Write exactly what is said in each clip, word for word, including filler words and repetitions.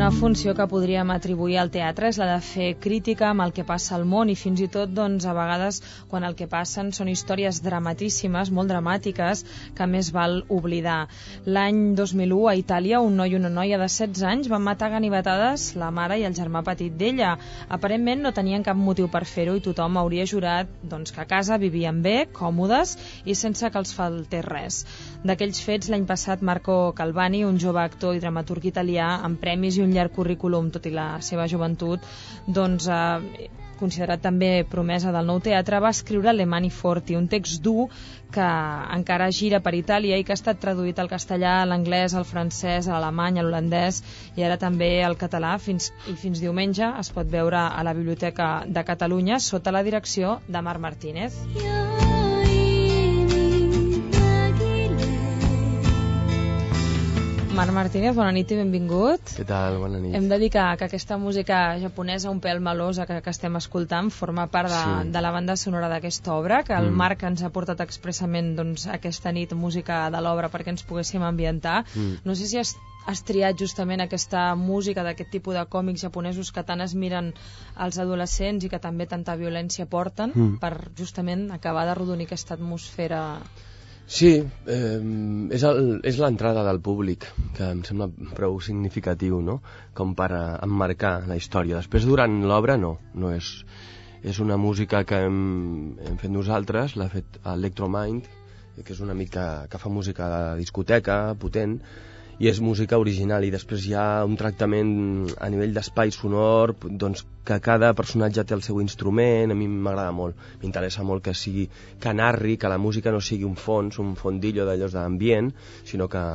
una funció que podríem atribuir al teatre és la de fer crítica amb el que passa al món, i fins i tot doncs, a vegades quan el que passen són històries dramatíssimes, molt dramàtiques, que més val oblidar. L'any dos mil u a Itàlia un noi i una noia de setze anys van matar a ganivetades la mare i el germà petit d'ella. Aparentment no tenien cap motiu per fer-ho i tothom hauria jurat doncs, que a casa vivien bé, còmodes i sense que els faltés res. D'aquells fets, l'any passat Marco Calvani, un jove actor i dramaturg italià amb premis i un llarg currículum, tot i la seva joventut, doncs, eh, considerat també promesa del nou teatre, va escriure Le Mani Forti, un text dur que encara gira per Itàlia i que ha estat traduït al castellà, a l'anglès, al francès, a l'alemany, a l'holandès i ara també al català, fins, i fins diumenge es pot veure a la Biblioteca de Catalunya sota la direcció de Marc Martínez. Marc Martínez, bona nit i benvingut. Què tal? Bona nit. Hem de dir que, que aquesta música japonesa un pèl melosa que, que estem escoltant forma part de, sí. de la banda sonora d'aquesta obra, que el mm. Marc ens ha portat expressament doncs, aquesta nit música de l'obra perquè ens poguéssim ambientar. Mm. No sé si has, has triat justament aquesta música d'aquest tipus de còmics japonesos que tant es miren als adolescents i que també tanta violència porten mm. per justament acabar d'arrodonir aquesta atmosfera. Sí, eh, és, el, és l'entrada del públic, que em sembla prou significatiu, no?, com per emmarcar la història. Després, durant l'obra, no, no és, és una música que hem, hem fet nosaltres, l'ha fet Electromind, que és un amic que, que fa música de discoteca, potent, i és música original, i després hi ha un tractament a nivell d'espai sonor, doncs que cada personatge té el seu instrument. A mi m'agrada molt, m'interessa molt que sigui, que narri, que la música no sigui un fons, un fondillo d'allò d'ambient, sinó que,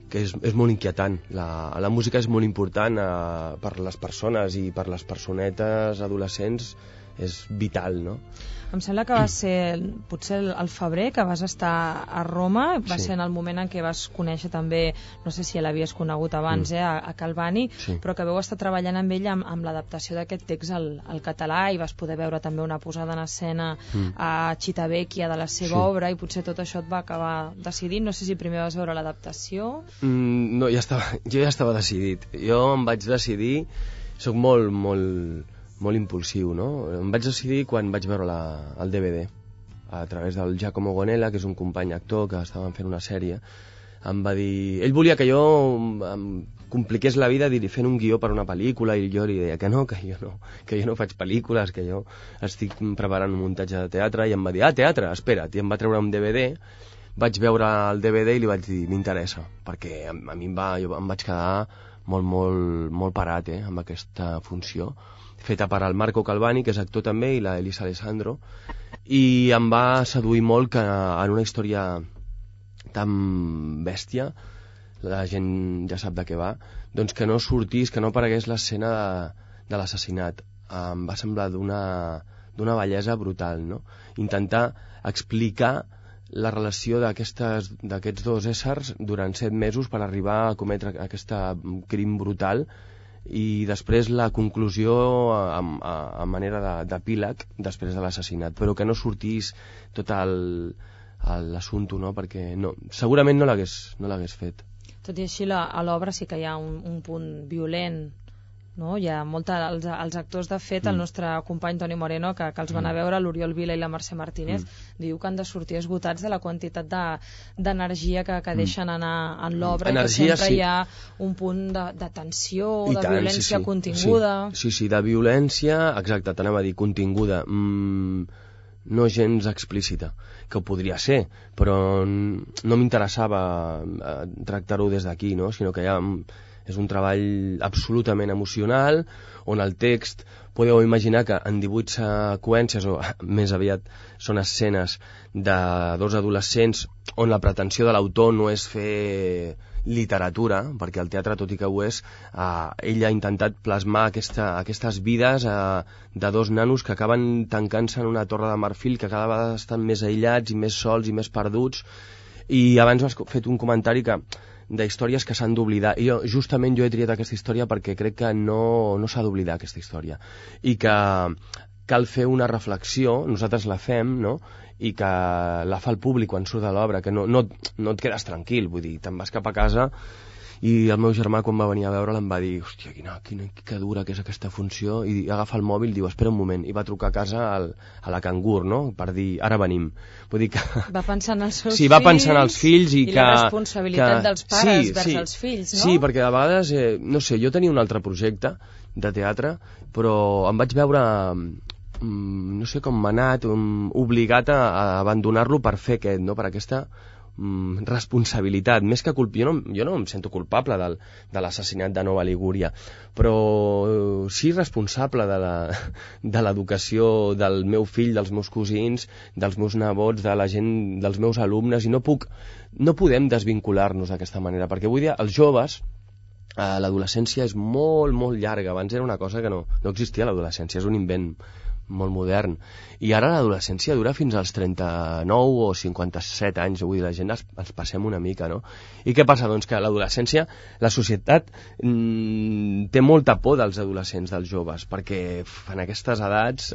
que és, és molt inquietant. La, la música és molt important eh, per les persones i per les personetes adolescents, és vital, no? Em sembla que va ser potser el febrer que vas estar a Roma, va sí. ser en el moment en què vas conèixer també, no sé si l'havies conegut abans, mm. eh, a, a Calvani, sí. però que vau estar treballant amb ell amb, amb l'adaptació d'aquest text al, al català, i vas poder veure també una posada en escena mm. a Civitavecchia de la seva sí. obra, i potser tot això et va acabar decidint. No sé si primer vas veure l'adaptació. Mm, no, ja estava, jo ja estava decidit. Jo em vaig decidir, soc molt, molt... molt impulsiu, no? Em vaig decidir quan vaig veure la, el D V D a través del Giacomo Gonella, que és un company actor que estaven fent una sèrie. Em va dir... Ell volia que jo em compliqués la vida fent un guió per una pel·lícula, i jo li deia que no, que jo no, que jo no faig pel·lícules, que jo estic preparant un muntatge de teatre, i em va dir, ah, teatre, espera't, i em va treure un D V D. Vaig veure el D V D i li vaig dir, m'interessa, perquè a, a mi em, va, jo em vaig quedar molt, molt, molt parat eh, amb aquesta funció, feta per al Marco Calvani, que és actor també, i la Elisa Alessandro, i em va seduir molt que en una història tan bèstia, la gent ja sap de què va, doncs que no sortís, que no aparegués l'escena de, de l'assassinat. Em va semblar d'una d'una bellesa brutal, no? Intentar explicar la relació d'aquests dos éssers durant set mesos per arribar a cometre aquest crim brutal, i després la conclusió a, a, a manera d'epíleg després de l'assassinat, però que no sortís tot l'assumpte, no? Perquè no, segurament no l'hagués no l'hagués fet. Tot i així, la, a l'obra sí que hi ha un, un punt violent, no? Hi ha molta, els, els actors, de fet, mm. el nostre company Toni Moreno, que, que els van a veure, l'Oriol Vila i la Mercè Martínez, mm. diu que han de sortir esgotats de la quantitat d'energia de, que, que deixen anar en l'obra, i que sempre sí. hi ha un punt de, de tensió, I de tant, violència sí, sí. continguda. Sí, sí, sí, de violència, exacte, t'anava a dir, continguda, mm, no gens explícita, que ho podria ser, però no m'interessava tractar-ho des d'aquí, no? Sinó que hi ha... És un treball absolutament emocional, on el text, podeu imaginar que en divuit seqüències, o més aviat són escenes de dos adolescents, on la pretensió de l'autor no és fer literatura, perquè el teatre, tot i que ho és, eh, ell ha intentat plasmar aquesta, aquestes vides eh, de dos nanos que acaben tancant-se en una torre de marfil, que cada vegada estan més aïllats i més sols i més perduts. I abans has fet un comentari que d'històries que s'han d'oblidar, i jo, justament jo he triat aquesta història perquè crec que no, no s'ha d'oblidar aquesta història, i que cal fer una reflexió, nosaltres la fem, no?, i que la fa el públic quan surt de l'obra, que no, no, no et quedes tranquil, vull dir, te'n vas cap a casa i el meu germà quan va venir a veure'l em va dir hòstia, quina, quina, que dura que és aquesta funció, i agafa el mòbil i diu espera un moment, i va trucar a casa al, a la Cangur, no?, per dir ara venim. Vull dir que... Va pensar en els seus sí, va pensar en els fills i, i que... la responsabilitat que... dels pares sí, vers sí, els fills, no? Sí, perquè a vegades, eh, no sé, jo tenia un altre projecte de teatre, però em vaig veure, mm, no sé com m'ha anat, um, obligat a, a abandonar-lo per fer aquest, no?, per aquesta mm, responsabilitat, més que culp... jo, no, jo no em sento culpable del, de l'assassinat de Nova Ligúria, però sí responsable de la, de l'educació del meu fill, dels meus cosins, dels meus nebots, de la gent, dels meus alumnes, i no puc, no podem desvincular-nos d'aquesta manera, perquè avui dia els joves, eh, l'adolescència és molt, molt llarga. Abans era una cosa que no, no existia, l'adolescència és un invent molt modern, i ara l'adolescència dura fins als trenta-nou o cinquanta-set anys, vull dir, la gent ens, ens passem una mica, no? I què passa? Doncs que l'adolescència, la societat mmm, té molta por dels adolescents, dels joves, perquè en aquestes edats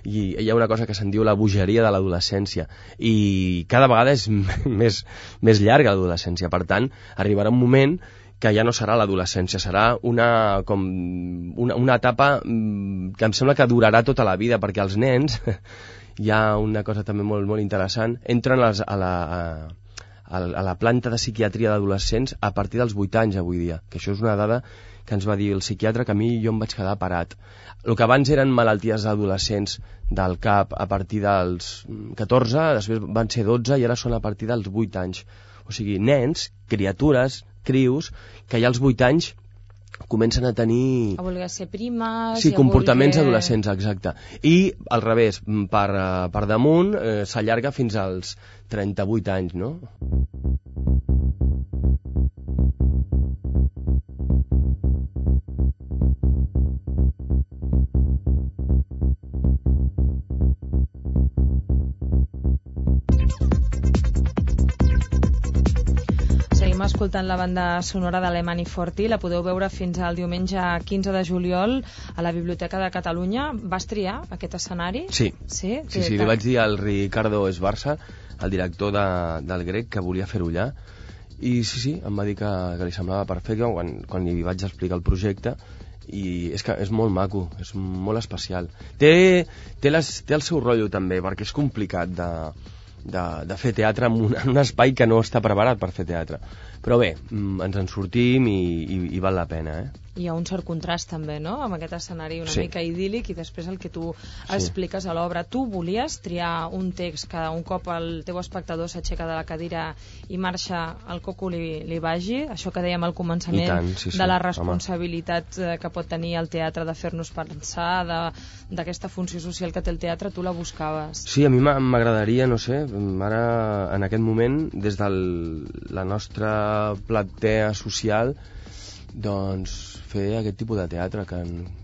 i hi ha una cosa que se'n diu la bogeria de l'adolescència, i cada vegada és més, més llarga l'adolescència. Per tant, arribarà un moment que ja no serà l'adolescència, serà una, com una, una etapa que em sembla que durarà tota la vida, perquè els nens, hi ha una cosa també molt, molt interessant, entren a, a, la, a, a la planta de psiquiatria d'adolescents a partir dels vuit anys avui dia, que això és una dada que ens va dir el psiquiatre, que a mi jo em vaig quedar parat. El que abans eren malalties adolescents del cap a partir dels catorze, després van ser dotze i ara són a partir dels vuit anys. O sigui, nens, criatures, crius, que ja als vuit anys comencen a tenir... A voler ser primes... Sí, comportaments voler... adolescents, exacte. I al revés, per, per damunt, eh, s'allarga fins als trenta-vuit anys, no? Escoltant la banda sonora de l'Emani Forti, la podeu veure fins al diumenge quinze de juliol a la Biblioteca de Catalunya. Vas triar aquest escenari? Sí, sí, sí, sí li vaig dir al Ricardo Esbarza, el director de, del Grec, que volia fer-ho allà, i sí, sí, em va dir que, que li semblava perfecte quan, quan li vaig explicar el projecte, i és que és molt maco, és molt especial. Té, té, les, té el seu rotllo també, perquè és complicat de, de, de fer teatre en un, en un espai que no està preparat per fer teatre. Però bé, ens en sortim i, i, i val la pena, eh? Hi ha un cert contrast també, no?, amb aquest escenari una sí. mica idíl·lic i després el que tu sí. expliques a l'obra. Tu volies triar un text que un cop el teu espectador s'aixeca de la cadira i marxa al coco li, li vagi, això que dèiem al començament tant, sí, sí. de la responsabilitat home. que pot tenir el teatre de fer-nos pensar, d'aquesta funció social que té el teatre, tu la buscaves? Sí, a mi m'agradaria, no sé, ara en aquest moment, des de la nostra platea social, doncs fer aquest tipus de teatre que,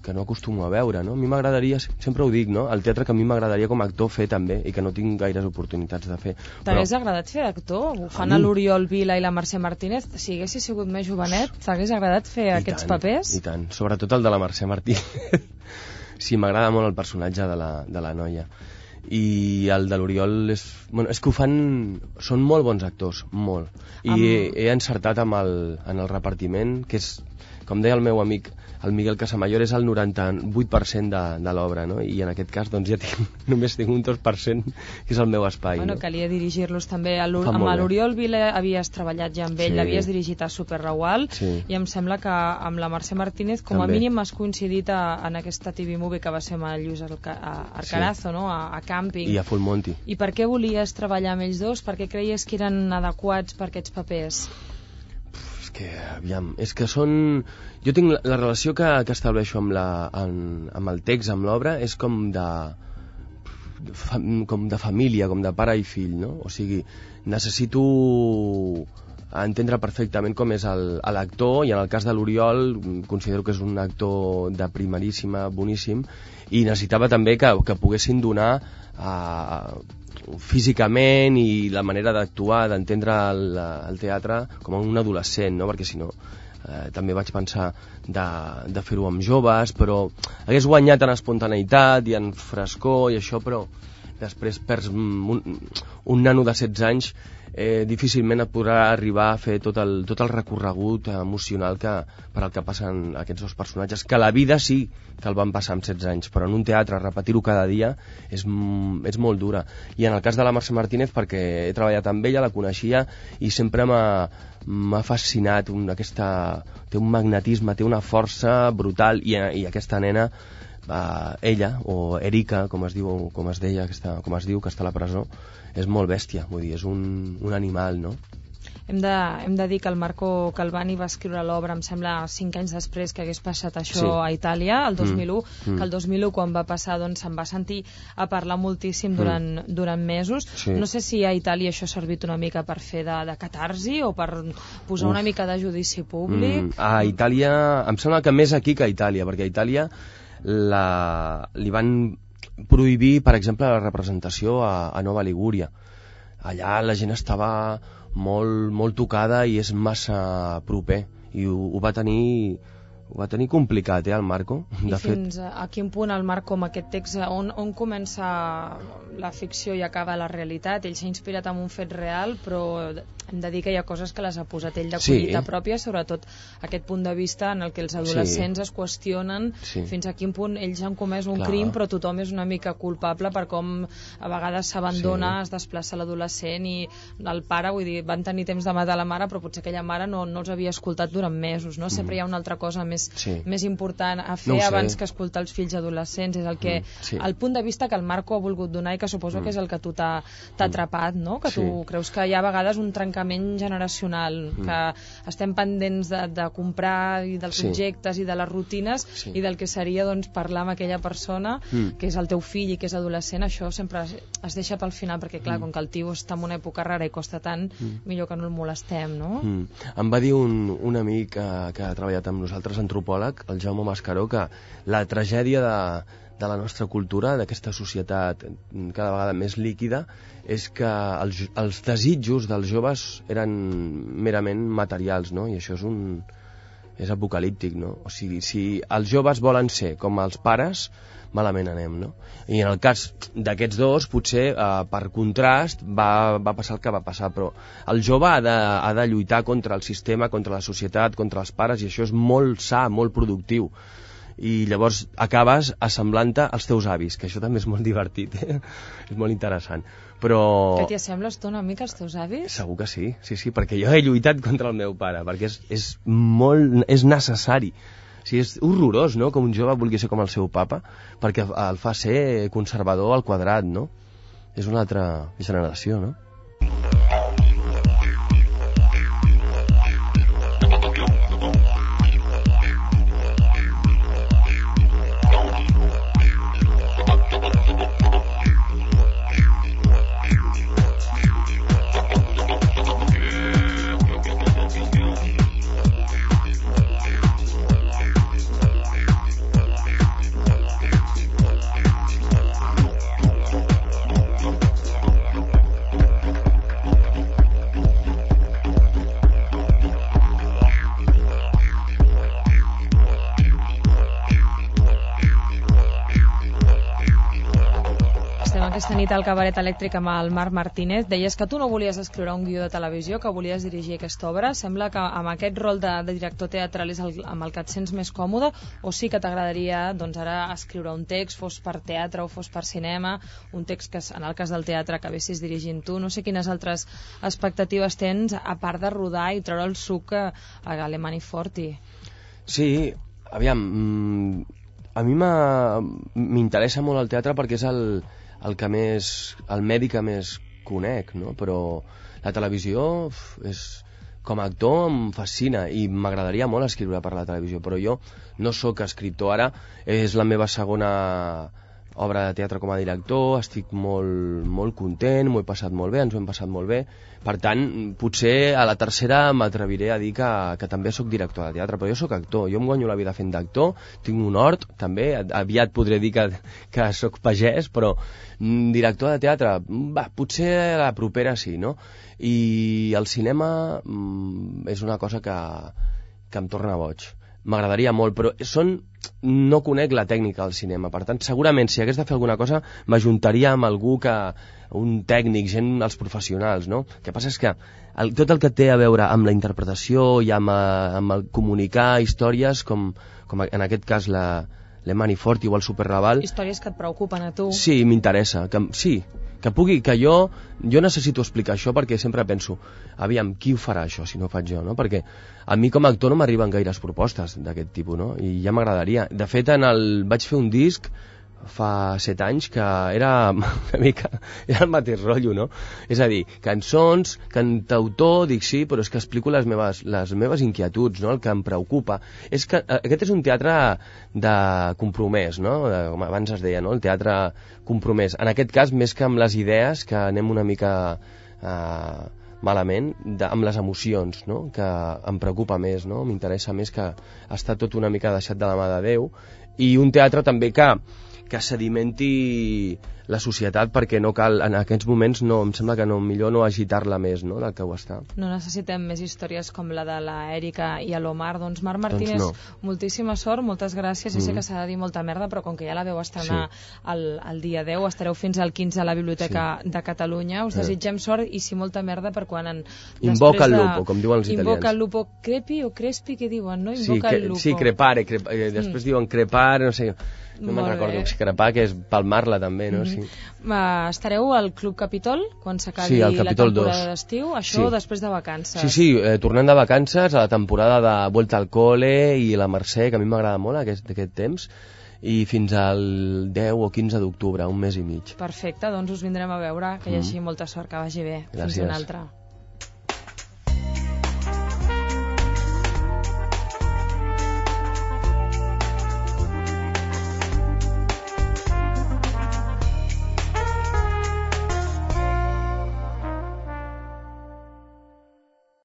que no acostumo a veure, no? A mi m'agradaria, sempre ho dic, no?, el teatre que a mi m'agradaria com a actor fer també, i que no tinc gaires oportunitats de fer. T'hagués Però... agradat fer d'actor? Ho fan a, a l'Oriol Vila i la Mercè Martínez. Si haguessis sigut més jovenet, t'hagués agradat fer I aquests tant, papers? I tant, sobretot el de la Mercè Martínez. Sí, m'agrada molt el personatge de la, de la noia. I el de l'Oriol és, bueno, és que ho fan, són molt bons actors, molt, i amb... he, he encertat amb el, en el repartiment, que és, com deia el meu amic el Miguel Casamayor, és el noranta-vuit per cent de, de l'obra, no? I en aquest cas doncs ja tinc, només tinc un dos per cent que és el meu espai. Bueno, no? Calia dirigir-los també a amb l'Oriol Vila, havies treballat ja amb ell, sí. l'havies dirigit a Super Ragual, sí. i em sembla que amb la Mercè Martínez com també. A mínim has coincidit a, en aquesta T V Movie que va ser amb el Lluís Arcarazo, sí. no? a, a Càmping. I a Full Monty. I per què volies treballar amb ells dos? Per què creies que eren adequats per aquests papers? Que, aviam, és que són... Jo tinc la, la relació que, que estableixo amb, la, en, amb el text, amb l'obra, és com de, fa, com de família, com de pare i fill, no? O sigui, necessito entendre perfectament com és l'actor, i en el cas de l'Oriol considero que és un actor de primeríssima, boníssim, i necessitava també que, que poguessin donar a... físicament i la manera d'actuar, d'entendre el, el teatre com un adolescent, no? Perquè si no eh, també vaig pensar de, de fer-ho amb joves, però hagués guanyat en espontaneïtat i en frescor i això, però després perds un, un nano de setze anys, eh, difícilment et podrà arribar a fer tot el, tot el recorregut emocional que, per al que passen aquests dos personatges, que la vida sí que el van passar amb setze anys, però en un teatre repetir-ho cada dia és, és molt dura. I en el cas de la Mercè Martínez, perquè he treballat amb ella, la coneixia i sempre m'ha fascinat un, aquesta, té un magnetisme, té una força brutal, i, i aquesta nena, Uh, ella, o Erika, com es diu, com es deia, que està, com es diu, que està a la presó, és molt bèstia, vull dir, és un, un animal, no? Hem de, hem de dir que el Marco Calvani va escriure l'obra, em sembla, cinc anys després que hagués passat això, sí, a Itàlia, el dos mil u, mm. que el dos mil u, quan va passar, doncs se'n va sentir a parlar moltíssim durant, mm. durant mesos. Sí. No sé si a Itàlia això ha servit una mica per fer de, de catarsi o per posar Uf. una mica de judici públic. Mm. A Itàlia, em sembla que més aquí que a Itàlia, perquè a Itàlia la, li van prohibir, per exemple, la representació a, a Nova Ligúria. Allà la gent estava molt, molt tocada i és massa proper, i ho, ho va tenir ho va tenir complicat, eh, el Marco. De I fins fet... a quin punt el Marco, amb aquest text, on, on comença la ficció i acaba la realitat? Ell s'ha inspirat en un fet real, però hem de dir que hi ha coses que les ha posat ell de collita sí. pròpia, sobretot aquest punt de vista en el que els adolescents sí. es qüestionen sí. fins a quin punt ells han comès un Clar. crim, però tothom és una mica culpable per com a vegades s'abandona, sí. es desplaça l'adolescent, i el pare, vull dir, van tenir temps de matar la mare, però potser aquella mare no, no els havia escoltat durant mesos, no? Sempre mm. hi ha una altra cosa més Sí. més important a fer no abans que escoltar els fills adolescents, és el que mm, sí. el punt de vista que el Marco ha volgut donar, i que suposo mm. que és el que tu t'ha mm. atrapat, no? Que sí. tu creus que hi ha a vegades un trencament generacional, mm. que estem pendents de, de comprar i dels sí. objectes i de les rutines sí. i del que seria, doncs, parlar amb aquella persona mm. que és el teu fill i que és adolescent. Això sempre es, es deixa pel final, perquè clar, mm. com que el tio està en una època rara i costa tant, mm. millor que no el molestem, no? Mm. Em va dir un, un amic que, que ha treballat amb nosaltres, antropòleg, el Jaume Mascaró, que la tragèdia de, de la nostra cultura, d'aquesta societat cada vegada més líquida, és que els, els desitjos dels joves eren merament materials, no? I això és un és apocalíptic, no? O sigui, si els joves volen ser com els pares, malament anem, no? I en el cas d'aquests dos, potser eh, per contrast va, va passar el que va passar, però el jove ha de, ha de lluitar contra el sistema, contra la societat, contra els pares, i això és molt sa, molt productiu. I llavors acabes assemblant-te als teus avis, que això també és molt divertit, eh? És molt interessant. Però... Que t'hi assembles tu una mica als teus avis? Segur que sí, sí, sí, perquè jo he lluitat contra el meu pare, perquè és, és molt... és necessari. O sigui, és horrorós, no?, que un jove vulgui ser com el seu papa, perquè el fa ser conservador al quadrat, no? És una altra generació, no? Aquesta nit al Cabaret Elèctric amb el Marc Martínez. Deies que tu no volies escriure un guió de televisió, que volies dirigir aquesta obra. Sembla que amb aquest rol de, de director teatral és el, amb el que et sents més còmode, o sí que t'agradaria, doncs, ara escriure un text, fos per teatre o fos per cinema, un text que en el cas del teatre acabessis dirigint tu. No sé quines altres expectatives tens, a part de rodar i treure el suc a, a Alemany Forti. Sí, aviam, a mi m'interessa molt el teatre perquè és el el que més, el medi que més conec, no? Però la televisió és, com a actor em fascina i m'agradaria molt escriure per la televisió, però jo no sóc escriptor ara, és la meva segona obra de teatre com a director, estic molt, molt content, m'ho he passat molt bé, ens ho hem passat molt bé, per tant, potser a la tercera m'atreviré a dir que, que també sóc director de teatre, però jo sóc actor, jo em guanyo la vida fent d'actor, tinc un hort, també, aviat podré dir que, que sóc pagès, però director de teatre, va, potser a la propera sí, no? I el cinema mm, és una cosa que, que em torna boig. M'agradaria molt, però són no conec la tècnica del cinema, per tant, segurament si hagués de fer alguna cosa m'ajuntaria amb algú que, un tècnic, gent, els professionals, no? El que passa és que el, tot el que té a veure amb la interpretació i amb, amb el comunicar històries, com, com en aquest cas la Le Maniforti o el Superraval... Històries que et preocupen a tu. Sí, m'interessa, que, sí, que pugui, que jo, jo necessito explicar això perquè sempre penso, aviam, qui ho farà això si no ho faig jo, no? Perquè a mi com a actor no m'arriben gaires propostes d'aquest tipus, no? I ja m'agradaria. De fet, en el, vaig fer un disc fa set anys que era una mica, era el mateix rotllo, no? És a dir, cançons, cantautor, dic sí, però és que explico les meves, les meves inquietuds, no? El que em preocupa. És que aquest és un teatre de compromès, no? De, com abans es deia, no? El teatre compromès. En aquest cas, més que amb les idees, que anem una mica eh, malament, de, amb les emocions, no? Que em preocupa més, no? M'interessa més que està tot una mica deixat de la mà de Déu. I un teatre també que que sedimenti la societat, perquè no cal, en aquests moments no, em sembla que no, millor no agitar-la més, no?, del que ho està. No necessitem més històries com la de la Èrica i l'Omar. Doncs Marc Martínez, doncs no. Moltíssima sort, moltes gràcies. Mm. Ja sé que s'ha de dir molta merda, però com que ja la veu estrenar sí. el, el dia deu, estareu fins al quinze a la Biblioteca sí. de Catalunya. Us desitgem eh. sort i si molta merda per quan... En, Invoca el lupo, com diuen els italians. Invoca el lupo, crepi o crespi, què diuen, no? Invoca sí, el lupo. Sí, crepare, crep... eh, després mm. diuen crepar, no sé... No me'n recordo, crepar, que és palmar-la també, no? Mm-hmm. Sí. Uh, estareu al Club Capitol quan s'acabi sí, la temporada d'estiu, això sí. Després de vacances. Sí, sí, eh, tornant de vacances a la temporada de Vuelta al Cole i la Mercè, que a mi m'agrada molt aquest, aquest temps, i fins al deu o quinze d'octubre, un mes i mig. Perfecte, doncs us vindrem a veure, que hi hagi mm. molta sort, que vagi bé. Gràcies. Fins una altra.